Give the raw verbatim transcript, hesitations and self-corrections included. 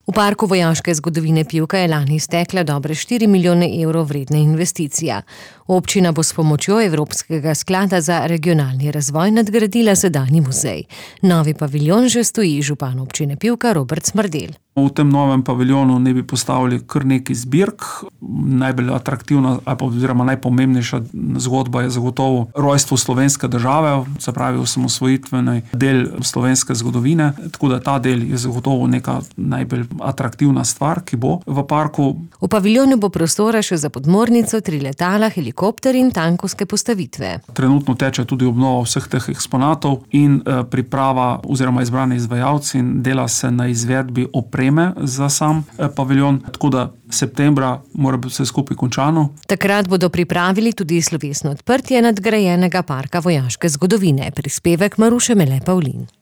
V parku vojaške zgodovine Pivka je lani stekla dobre štiri milijone evrov vredna investicija. Občina bo s pomočjo Evropskega sklada za regionalni razvoj nadgradila sedanji muzej. Novi paviljon že stoji, župan občine Pivka Robert Smrdelj. V tem novem paviljonu ne bi postavili kar nekaj zbirk. Najbolj atraktivna oziroma najpomembnejša zgodba je zagotovo rojstvo slovenske države, se pravi osamosvojitveni del slovenske zgodovine. Tako da ta del je zagotovo neka najbolj atraktivna stvar, ki bo v parku. V paviljonu bo prostora še za podmornico, tri letala, helikopter in tankovske postavitve. Trenutno teče tudi obnova vseh teh eksponatov in priprava oziroma izbrani izvajalci in dela se na izvedbi opreme za sam paviljon, tako da septembra mora biti vse skupaj končano. Takrat bodo pripravili tudi slovesno odprtje nadgrajenega parka vojaške zgodovine. Prispevek Maruše Mele Pavlin.